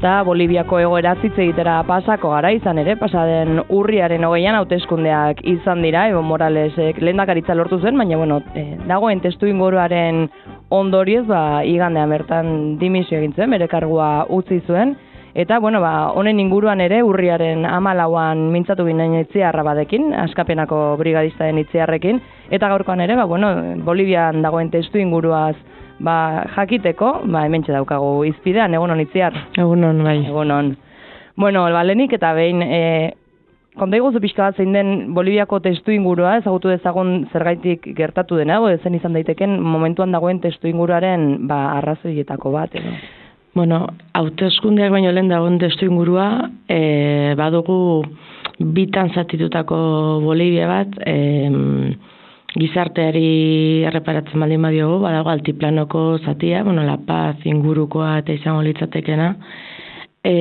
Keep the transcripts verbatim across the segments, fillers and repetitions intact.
eta Boliviako egoera hitz egitera pasako gara, izan ere, pasaden urriaren hogeian hauteskundeak izan dira, Evo Moralesek lehendakaritza lortu zen, baina bueno, e, dagoen testu inguruaren ondorioz, ba, igandean bertan dimisio egin zen, bere kargua utzi zuen, eta bueno, ba, honen inguruan ere urriaren hamalauan mintzatu ginen Itziarra badekin, Askapenako brigadistaren Itziarrekin, eta gaurkoan ere, ba, bueno, Bolivian dagoen testu inguruaz ba, jakiteko, ba, hementxe daukagu izpidean, egunon Itziar. Egunon, bai. Egunon. Bueno, balenik eta behin, e, konta iguzu pixka bat zein den Boliviako testu ingurua, ezagutu dezagun zergaitik gertatu dena, o zen izan daiteken momentuan dagoen testu inguruaren ba, arrazoietako bat, edo? Bueno, hauteskundeak baino lehen dagoen testu ingurua, e, badugu bitan zatitutako Bolivia bat, e, gizarteari erreparatzen baldin badiogu, badago altiplanoko zatia, bueno, La Paz ingurukoa eta izango litzatekena, e,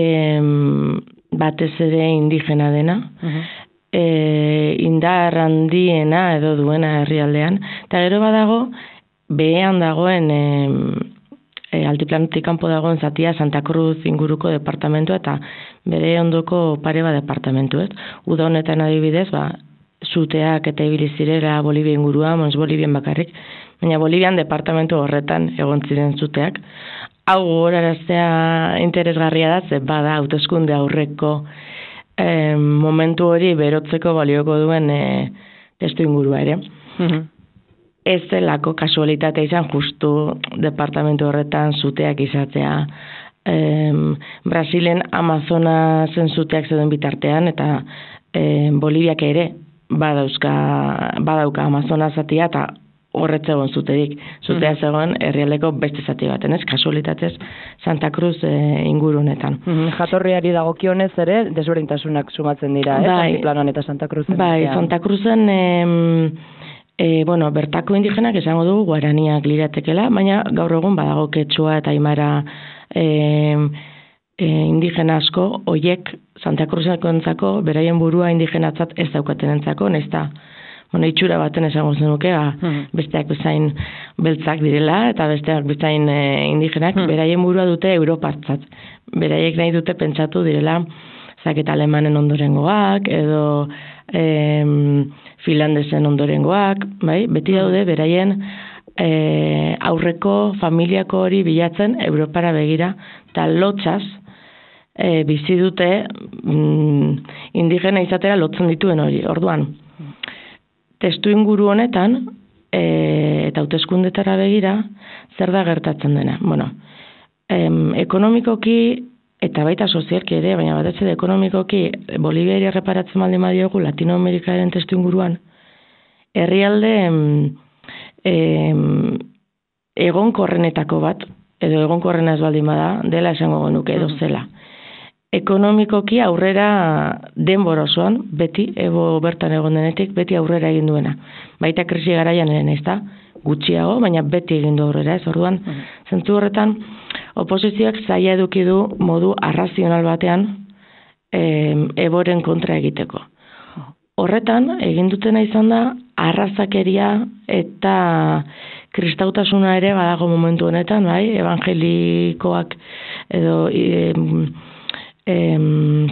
batez ere indigena dena, uh-huh. e, indar handiena edo duena herrialdean, eta gero badago, behean dagoen e, E, altiplanotik kanpo dagoen zatia Santa Cruz inguruko departamentua eta bere ondoko pare bat departamentuet. Uda honetan adibidez, ba, zuteak eta ibili zirela Bolivia ingurua, mons Bolivian bakarrik, baina Bolivian departamentu horretan egon ziren zuteak. Hau gogoraraztea interesgarria da, ze bada hauteskunde aurreko e, momentu hori berotzeko balioko duen e, testu ingurua ere. Uh-huh. Ez delako kasualitatea izan justu departamentu horretan zuteak izatea. Em, Brasilen Amazonasen zuteak zeuden bitartean eta em, Boliviak ere badauzka, badauka Amazona zatia eta horretzegon zuterik. Zutea mm. zegoen herrialdeko beste zati baten, ez? Kasualitatez Santa Cruz e, inguru honetan. Mm-hmm. Jatorriari dagokionez ere desberdintasunak sumatzen dira, ez? Bai, Altiplanon eta Santa Cruzen. Bai, Santa Cruzen em, E, bueno, bertako indigenak esango dugu guaraniak liratekela, baina gaur egun badago Quechua eta Aimara e, e, indigena asko, hoiek Santa Cruzentzako beraien burua indigenatzat ez daukatenentzako, nesta bueno, itxura baten esango zenuke, ba, hmm. besteak bezain beltzak direla eta besteak bezain e, indigenak, hmm. beraien burua dute Europatzat. Beraiek nahi dute pentsatu direla zaketa alemanen ondorengoak edo em, finlandesen ondorengoak, bai? Beti daude beraien e, aurreko familiako hori bilatzen Europara begira, eta lotxaz e, bizi dute mm, indigena izatera lotzen dituen hori. Orduan, testu inguru honetan, e, eta hauteskundetara begira, zer da gertatzen dena? Bueno, em, ekonomikoki eta baita sozialki ere, baina batez ere ekonomikoki Boliviari erreparatzen baldin badiogu Latinoamerikaren testu inguruan, herrialde em, egonkorrenetako bat, edo egonkorrena ez baldin bada, dela esango genuke edo zela. Ekonomikoki aurrera denbora osoan, beti, ebo bertan egon denetik, beti aurrera egin duena. Baita krisi garaian eren ez da, gutxiago, baina beti egin du aurrera, ez orduan, uh-huh. zentzu horretan, oposizioak zaila eduki du modu arrazional batean e, eboren kontra egiteko. Horretan, egin dutena izan da, arrazakeria eta kristautasuna ere badago momentu honetan, bai, evangelikoak edo e, e,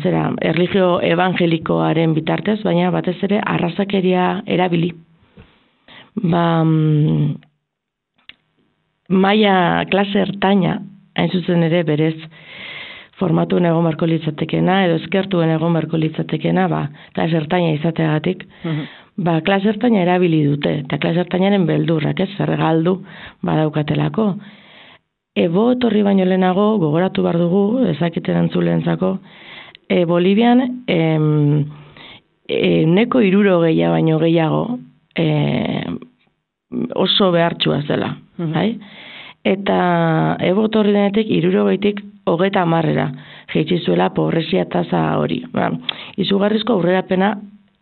zera, erlijio evangelikoaren bitartez, baina batez ere arrazakeria erabili. Ba, maia klase ertaina, hain zuzen ere berez formatuen egon barko litzatekena, edo eskertuen egon barko litzatekena, ba, klase ertaina izateagatik, uh-huh. ba, klase ertaina erabili dute, eta klase ertainaren beldurrak, ez, zer galdu badaukatelako. Ebo etorri baino lehenago, gogoratu behar dugu, ezakiten antzulentzako, e, Bolivian em, e, neko iruro gehiago baino gehiago, e, oso behartxua zela, uh-huh. bai? Eta ebo etorri denetik irurogeitik hogeta hamarrera jeitsi zuela pobrezia tasa hori. Ba, izugarrizko aurrerapena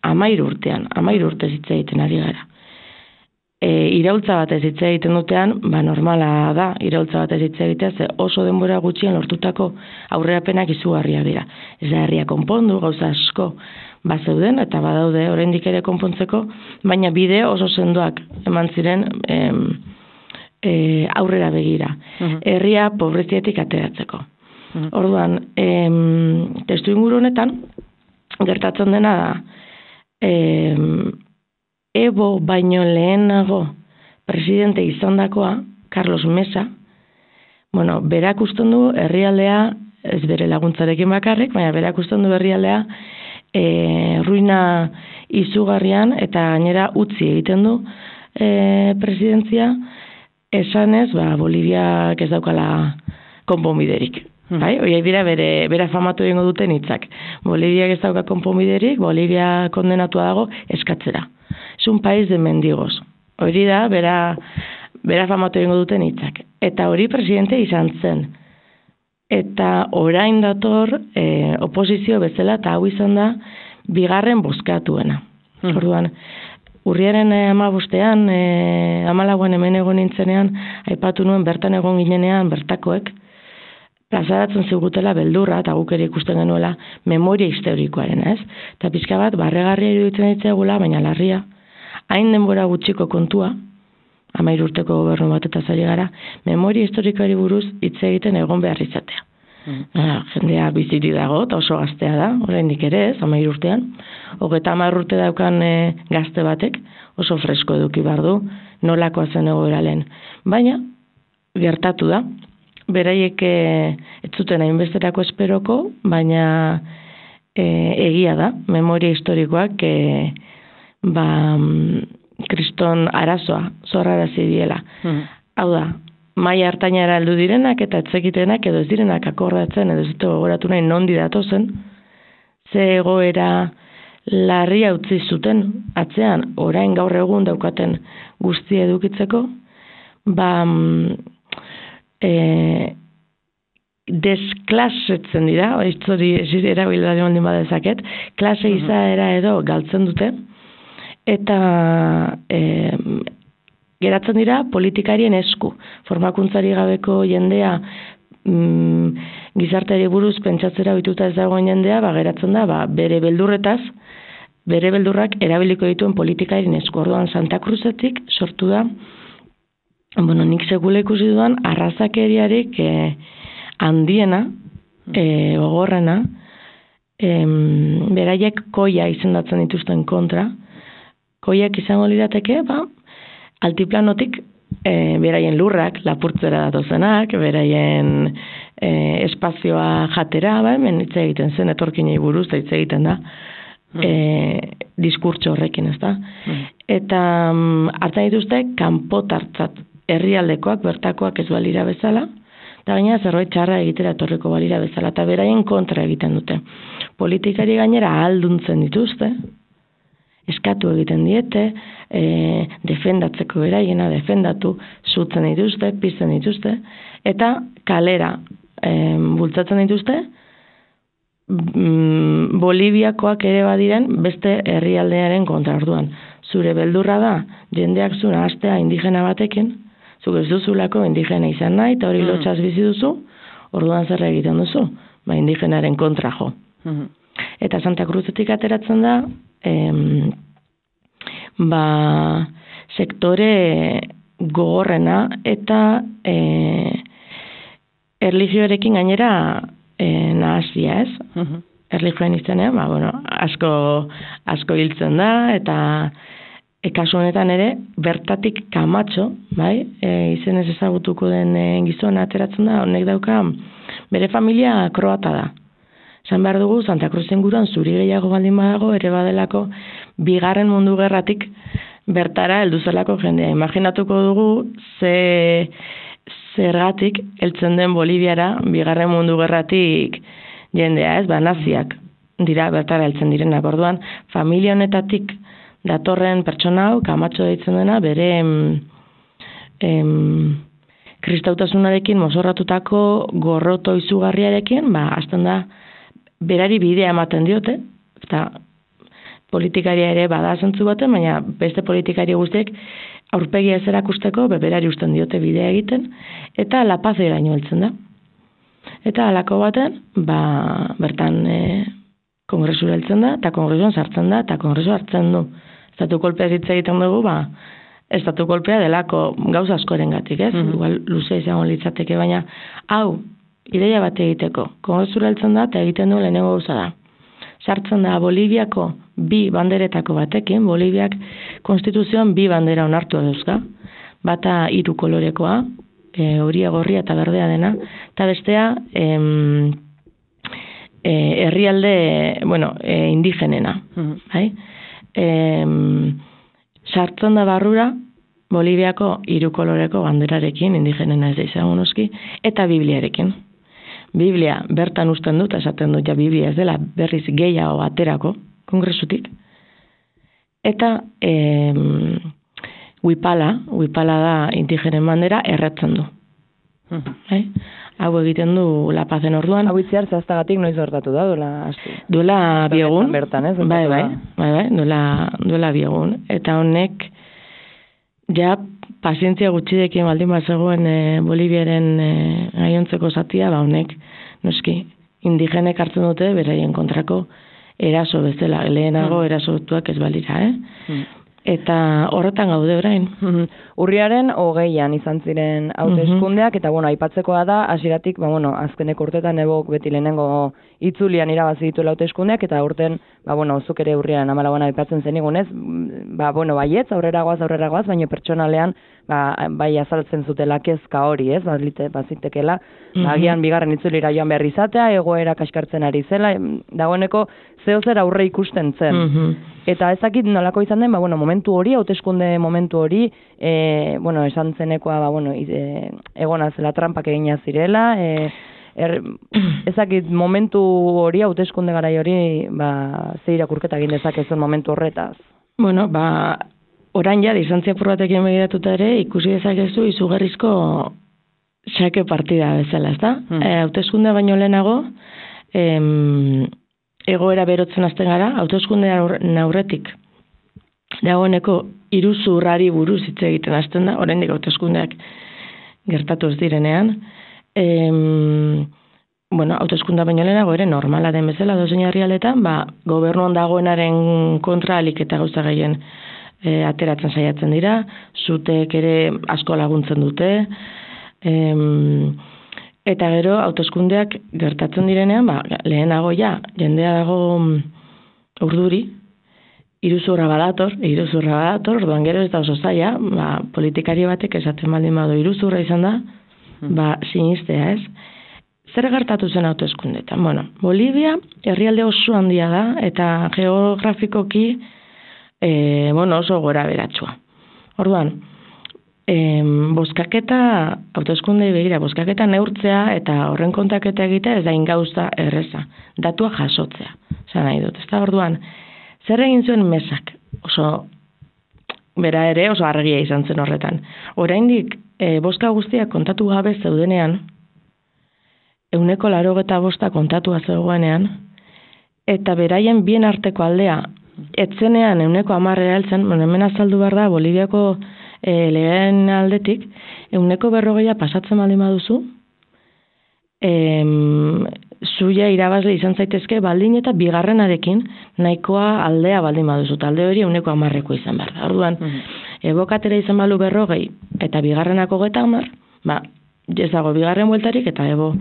hamahiru urtean, hamahiru urte hitz egiten ari gara. E, iraultza batez hitz egiten dutean, ba normala da, iraultza batez hitz egitea, ze oso denbora gutxien lortutako aurrerapenak izugarria dira. Ez da herria konpondu, gauza asko bazeuden, eta badaude oraindik ere konpontzeko, baina bide oso sendoak eman ziren em, e, aurrera begira. Uh-huh. Herria pobreziatik ateratzeko. Mm. Orduan, em, testu inguru honetan, gertatzen dena da, em, Ebo baino lehenago presidente izandakoa, Carlos Mesa, bueno, berak usten du herrialdea, ez bere laguntzarekin bakarrik, baina berak usten du herrialdea e, ruina izugarrian eta gainera utzi egiten du e, presidentzia, esanez, ba, Boliviak ez daukala konponbiderik. Hmm. Bai, horiek dira bere, bere famatu egingo duten hitzak. Boliviak ez dauka konponbiderik, Bolivia kondenatua dago eskatzera. Es un país de mendigos. Hori da, bera, bera famatu egingo duten hitzak. Eta hori presidente izan zen. Eta orain dator e, oposizio bezala, eta hau izan da, bigarren bozkatuena. Hmm. Orduan, urriaren hamabostean, e, hamalauan hemen egon nintzenean, aipatu nuen bertan egon ginenean bertakoek, plazaratzen zigutela beldurra, eta guk ere ikusten genuela, memoria historikoaren, ez? Eta pixka bat, barregarria iruditzen ditzegula, baina larria, hain denbora gutxiko kontua, hamair urteko gobernu bat eta zari gara, memoria historikoari buruz hitz egiten egon behar izatea. Mm. Ah, jendea biziri dago, eta oso gaztea da, oraindik ere ez, hamair urtean. Hogeita hamar urte daukan e, gazte batek, oso fresko eduki behar du, nolakoa zen egoera lehen. Baina, gertatu da, beraiek ez zuten hainbesterako esperoko, baina e, egia da, memoria historikoak e, ba, kriston arazoa, zorrarazi diela. Mm. Hau da, maila hartainara heldu direnak eta etzekitenak edo ez direnak akordatzen edo ez dute gogoratu nahi nondi datozen, ze egoera larria utzi zuten atzean, orain gaur egun daukaten guztia edukitzeko, ba... E, desklasetzen dira, hori erabilari ondin badezaket, klase izaera edo galtzen dute, eta e, geratzen dira politikarien esku. Formakuntzari gabeko jendea mm, gizarteari buruz pentsatzera bituta ez dagoen jendea, ba, geratzen da, ba, bere beldurretaz, bere beldurrak erabiliko dituen politikarien esku. Orduan Santa Cruzetik sortu da, bueno, nik sekula ikusi duan, arrazakeriarik eh, handiena, eh, gogorrena, eh, beraiek koia izendatzen dituzten kontra, koiak izango lirateke, ba, altiplanotik eh, beraien lurrak, lapurtzera datozenak, beraien eh, espazioa jatera, ba, hemen hitz egiten zen, etorkinei buruz, hitz egiten da, eh, diskurtso horrekin, ez da? Mm. Eta mm, hartzen dituzte, kanpotartzat, herrialdekoak, bertakoak ez balira bezala, eta gaina zerbait txarra egitera etorriko balira bezala, eta beraien kontra egiten dute. Politikari gainera ahalduntzen dituzte, eskatu egiten diete, e, defendatzeko beraiena, defendatu, zutzen dituzte, pizten dituzte, eta kalera e, bultzatzen dituzte, mm, Boliviakoak ere badiren beste herrialdearen kontra. Orduan. Zure beldurra da, jendeak zuna astea indigena batekin, zuk ez duzulako indigena izan nahi, eta hori mm. lotxaz bizi duzu, orduan zer egiten duzu, ba indigenaren kontra jo. Mm. Eta Santa Cruzetik ateratzen da, em, ba, sektore gogorrena eta e, erlijioarekin gainera e, nahazia, ez? Mm-hmm. Erlijioan izanean, ba, bueno, asko, asko hiltzen da, eta E, kasu honetan ere, bertatik Kamatxo, bai, e, izenez ezagutuko den e, gizona ateratzen da, honek dauka, bere familia kroata da. Esan behar dugu, Santa Cruz inguruan zuri gehiago baldin badago, ere badelako, bigarren mundu gerratik bertara heldu zelako jendea. Imaginatuko dugu, ze zergatik heltzen den Boliviara, bigarren mundu gerratik jendea, ez, ba, naziak dira bertara heltzen direnak. Orduan, familia honetatik datorren pertsona hau, Kamatxo deitzen dena, bere em, em, kristautasunarekin mozorratutako gorroto izugarriarekin, ba, hasten da, berari bidea ematen diote, eta politikaria ere bada zentzu baten, baina beste politikari guztiek aurpegia ez erakusteko, berari usten diote bidea egiten, eta La Paz eraino heltzen da. Eta halako baten, ba, bertan e, kongresura heltzen da, eta kongresuan sartzen da, eta kongresu hartzen du. Estatu kolpea hitz egiten dugu, ba, estatu kolpea delako gauza askoren gatik, ez? Mm-hmm. Igual luze izango litzateke, baina hau ideia bat egiteko. Kongresura heltzen da eta egiten du lehenengo gauza da. Sartzen da Boliviako bi banderetako batekin, Boliviak konstituzioan bi bandera onartu dauzka. Bata hiru kolorekoa, e, horia, gorria eta berdea dena, eta bestea em, e, herrialde, bueno, e, indigenena. Mm-hmm. Bai? Em, sartzen da barrura Boliviako hiru koloreko banderarekin, indigenena ez da izango noski, eta Bibliarekin. Biblia bertan usten dut, esaten dut ja Biblia ez dela berriz gehiago aterako, kongresutik. Eta e, Huipala, Huipala da indigenen bandera, erretzen du. Uh-huh. Hau egiten du La Pazen orduan. Hau itziar zehaztagatik noiz hortatu da, duela astu. Duela biegun. Bertan, ez? Bai, bai, bai, bai, duela, duela biegun. Eta honek, ja, pazientzia gutxidekin baldin bat zegoen e, Boliviaren e, gaiontzeko zatia, ba honek, noski, indigenek hartzen dute, beraien kontrako eraso bezala, lehenago mm. erasotuak ez balira, eh? Mm. Eta horretan gaude orain. Urriaren hogeian izan ziren hauteskundeak, eta bueno, aipatzekoa da, hasieratik, ba bueno, azkeneko urtetan ebok beti lehenengo itzulian irabazi dituela hauteskundeak, eta urten, ba bueno, zuk ere urriaren hamalauan aipatzen zenigunez, ba bueno, baietz, aurrera goaz, aurrera goaz, baina pertsonalean, ba, bai azaltzen zutela kezka hori, ez, bazite, bazitekela, mm-hmm. agian bigarren itzulira joan behar izatea, egoera kaskartzen ari zela, dagoeneko zeo zer aurre ikusten zen. Mm-hmm. Eta ezakit nolako izan den, ba, bueno, momentu hori, hauteskunde momentu hori, e, bueno, esan zenekoa, ba, bueno, e, egona zela trampak egina zirela, e, er, ezakit momentu hori, hauteskunde garai hori, ba, ze irakurketa egin dezakezun momentu horretaz. Bueno, ba, orain ja, distantzia probatekin begiratuta ere, ikusi dezakezu izugarrizko xake partida bezala, ezta? Hmm. E, hauteskunde baino lehenago, em, egoera berotzen hasten gara, hauteskunde aurretik dagoeneko iruzurrari buruz hitz egiten hasten da, oraindik hauteskundeak gertatu ez direnean. Em, bueno, hauteskunde baino lehenago ere normala den bezala dozein herrialdetan, ba, gobernuan dagoenaren kontra alik eta gauza gehien e, ateratzen saiatzen dira, zutek ere asko laguntzen dute, em, eta gero, hauteskundeak gertatzen direnean, ba, lehenago ja, jendea dago urduri, iruzurra badator, iruzurra badator, orduan gero ez da oso zaila, ba, politikari batek esaten baldin badu iruzurra izan da, ba, sinistea ez. Zer gertatu zen hauteskundetan? Bueno, Bolivia herrialde oso handia da, eta geografikoki, e, bueno, oso gora beratsua. Orduan, Em, boskaketa, hauteskunde begira, boskaketa neurtzea eta horren kontaketa egitea ez da ingauza erreza, datua jasotzea, zan nahi dut, ez da orduan, zer egin zuen mesak, oso, bera ere oso argia izan zen horretan, oraindik e, boska guztiak kontatu gabe zeudenean, euneko larogeta bosta kontatua zegoenean, eta beraien bien arteko aldea, etzenean euneko amarrera heltzen, hemen azaldu behar da, Boliviako E, lehen aldetik, euneko berrogeia pasatzen baldin baduzu, em, zuia irabazle izan zaitezke baldin eta bigarrenarekin nahikoa aldea baldin baduzu, talde hori euneko amarreko izan behar da. Orduan, mm-hmm. ebokatera izan balu berrogei eta bigarrenako geta amar, ba, ez dago bigarren bueltarik eta ebo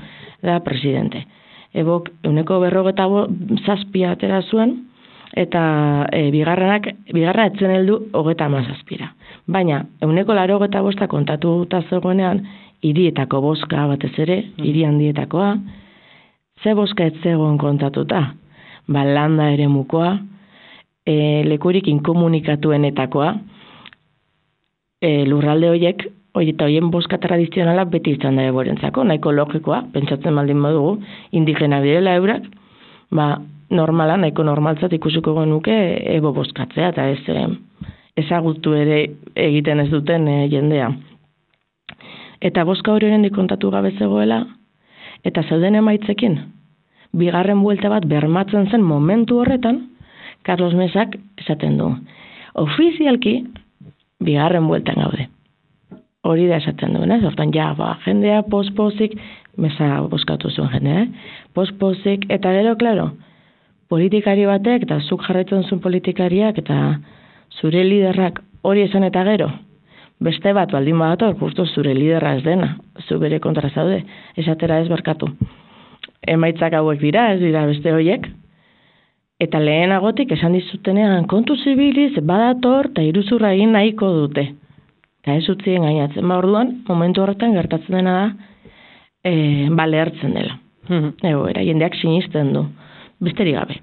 da presidente. Ebok euneko berrogeta zazpia atera zuen, eta e, bigarrenak, bigarra etzen heldu hogeta amazazpira. Baina, euneko laro hogeta bosta kontatu eta zegoenean, hirietako boska batez ere, hiri handietakoa, ze boska ez zegoen kontatuta? Ba, landa ere mukoa, e, lekurik inkomunikatuenetakoa, e, lurralde horiek, hori eta horien boska tradizionala beti izan da eborentzako, nahiko logikoa, pentsatzen baldin badugu, indigena direla eurak, ba, normala, nahiko normaltzat ikusiko genuke ebo bozkatzea, eta ez eh, ezagutu ere egiten ez duten eh, jendea. Eta bozka hori horrendik kontatu gabe zegoela, eta zeuden emaitzekin, bigarren buelta bat bermatzen zen momentu horretan, Carlos Mesak esaten du, ofizialki, bigarren bueltan gaude. Hori da esaten duen, ez? Hortan, ja, ba, jendea pospozik, Mesa bozkatu zuen jendea, eh? Pospozik, eta gero, klaro, politikari batek, eta zuk jarraitzen zuen politikariak, eta zure liderrak hori esan eta gero, beste bat baldin badator, justo zure liderra ez dena, zu bere kontra zaude, esatera ez barkatu. Emaitzak hauek dira, ez dira beste hoiek, eta lehenagotik esan dizutenean kontu zibiliz badator eta iruzurra egin nahiko dute. Eta ez utzien gainatzen, ba orduan, momentu horretan gertatzen dena da, e, ba lehertzen dela. Egoera, jendeak sinisten du. Besterik gabe.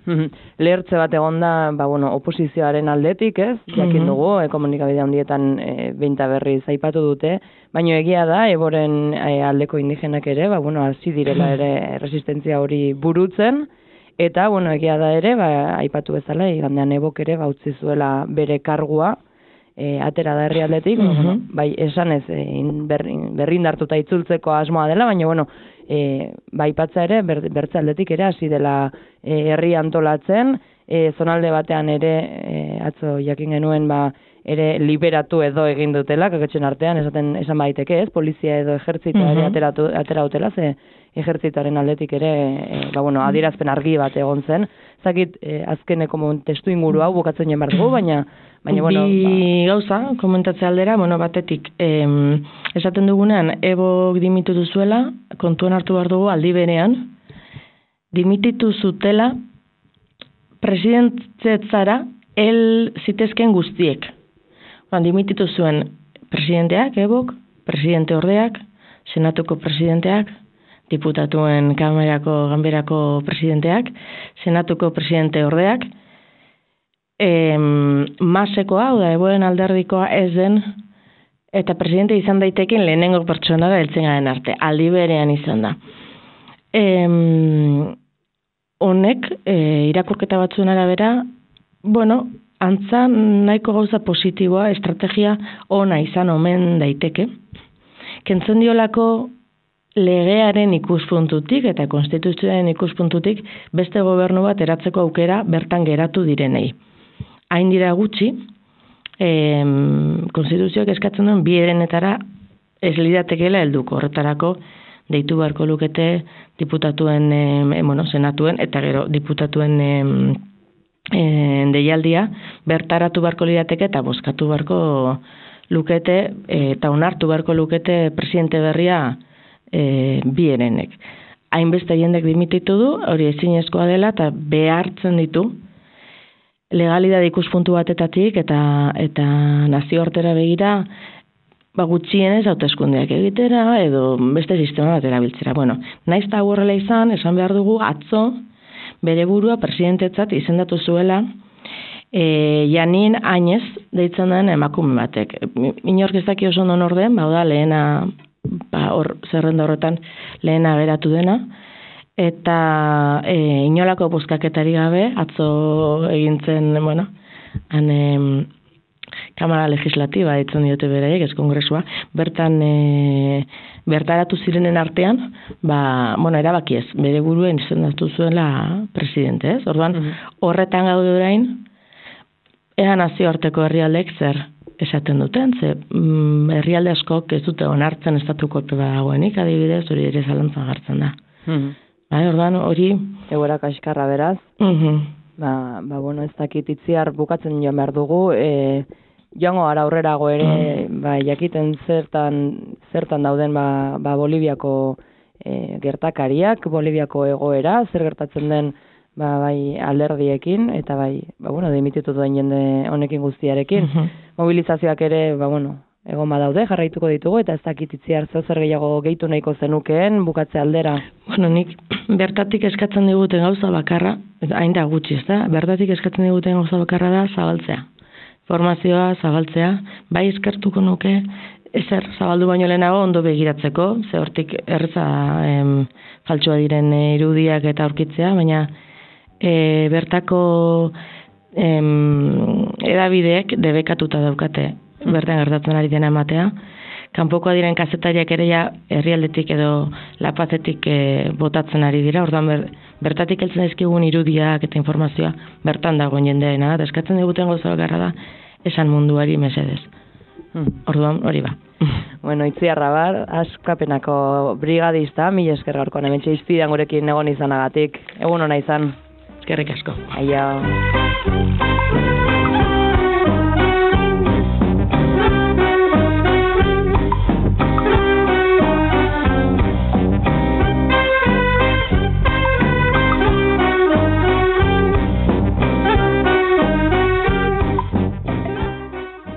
Lehertze bat egonda, ba, bueno, oposizioaren aldetik, ez? Jakin dugu, e, komunikabide handietan e, behinta berriz aipatu dute, baina egia da, eboren e, aldeko indigenak ere, ba, bueno, hasi direla ere resistentzia hori burutzen, eta, bueno, egia da ere, ba, aipatu bezala, igandean ebok ere, ba, utzi zuela bere kargua, e, atera da herrialdetik, mm -hmm. bueno, bai, esan ez, e, berrindartuta itzultzeko asmoa dela, baina, bueno, E, baipatza ere, ber, bertze aldetik ere, hasi dela e, herri antolatzen, e, zonalde batean ere, e, atzo jakin genuen, ba, ere liberatu edo egin dutela, kaketxen artean, esaten esan baiteke ez, polizia edo ejertzitoa ere ateratu, atera dutela, ze ejertzitoaren aldetik ere, e, ba, bueno, adierazpen argi bat egon zen, zakit, e, azkeneko testu inguru hau bukatzen jen dugu, baina Baina, bueno, bi ba... gauza, komentatze aldera, bueno, batetik, em, esaten dugunean, ebok dimititu duzuela, kontuan hartu behar dugu aldi berean, dimititu zutela presidentetzara el zitezken guztiek. Ban, dimititu zuen presidenteak, ebok, presidente ordeak, senatuko presidenteak, diputatuen kamerako, ganberako presidenteak, senatuko presidente ordeak, E, masekoa, oda, eboren alderdikoa ez den, eta presidente izan daitekin lehenengo pertsonara heltzen garen arte, aldi berean izan da. E, honek, e, irakurketa batzuen arabera, bueno, antza nahiko gauza positiboa, estrategia ona izan omen daiteke. Kentzen diolako legearen ikuspuntutik eta konstituzioaren ikuspuntutik beste gobernu bat eratzeko aukera bertan geratu direnei. Hain dira gutxi, eh, konstituzioak eskatzen duen bi herenetara ez lidatekeela helduko. Horretarako deitu beharko lukete diputatuen, eh, bueno, senatuen eta gero diputatuen eh, eh, deialdia bertaratu beharko lidateke eta bozkatu beharko lukete eh, eta onartu beharko lukete presidente berria eh, bi herenek. Hainbeste jendek dimititu du, hori ezinezkoa dela eta behartzen ditu legalidade ikuspuntu batetatik eta eta nazioartera begira ba gutxienez hauteskundeak egitera edo beste sistema bat erabiltzera. Bueno, naiz ta horrela izan, esan behar dugu atzo bere burua presidentetzat izendatu zuela e, Janin Añez deitzen den emakume batek. Inork ez daki oso ondo nor den, ba da lehena ba hor zerrenda horretan lehena geratu dena. Eta e, inolako bozkaketari gabe, atzo egintzen, bueno, han e, Kamara Legislatiba ditzen diote beraiek, ez kongresua, bertan e, bertaratu zirenen artean, ba, bueno, erabaki ez, bere buruen izendatu zuela presidente, ez? Orduan, mm-hmm. horretan gaude orain, ea nazioarteko herrialdek zer esaten duten, ze mm, herrialde askok ez dute onartzen estatuko epe dagoenik, adibidez, hori ere zalantzan jartzen da. Mm-hmm. Bai, orduan, hori... Egoera kaskarra beraz. Uh-huh. Ba, ba, bueno, ez dakit itziar bukatzen joan behar dugu. E, joango gara aurrerago ere, uh-huh. ba, jakiten zertan, zertan dauden ba, ba Boliviako e, gertakariak, Boliviako egoera, zer gertatzen den ba, bai alderdiekin, eta bai, ba, bueno, dimititu duen jende honekin guztiarekin. Uh-huh. Mobilizazioak ere, ba, bueno... egon badaude, jarraituko ditugu, eta ez dakit itziar zer gehiago gehitu nahiko zenukeen, bukatze aldera. Bueno, nik bertatik eskatzen diguten gauza bakarra, hain da gutxi, ez da? Bertatik eskatzen diguten gauza bakarra da zabaltzea. Formazioa zabaltzea, bai eskertuko nuke, ezer zabaldu baino lehenago ondo begiratzeko, ze hortik erreza em, faltsua diren irudiak eta aurkitzea, baina e, bertako em, edabideek debekatuta daukate bertan gertatzen ari dena ematea. Kanpokoa diren kazetariak ere ja herrialdetik edo lapazetik e, botatzen ari dira. Orduan ber, bertatik heltzen dizkigun irudiak eta informazioa bertan dagoen jendearena da. Eskatzen diguten gauza bakarra da esan munduari mesedez. Hmm. Orduan hori ba. Bueno, Itziar Rabar, askapenako brigadista, mila esker gaurkoan hementxe izpidean gurekin egon izanagatik. Egun ona izan. Eskerrik asko. Aio.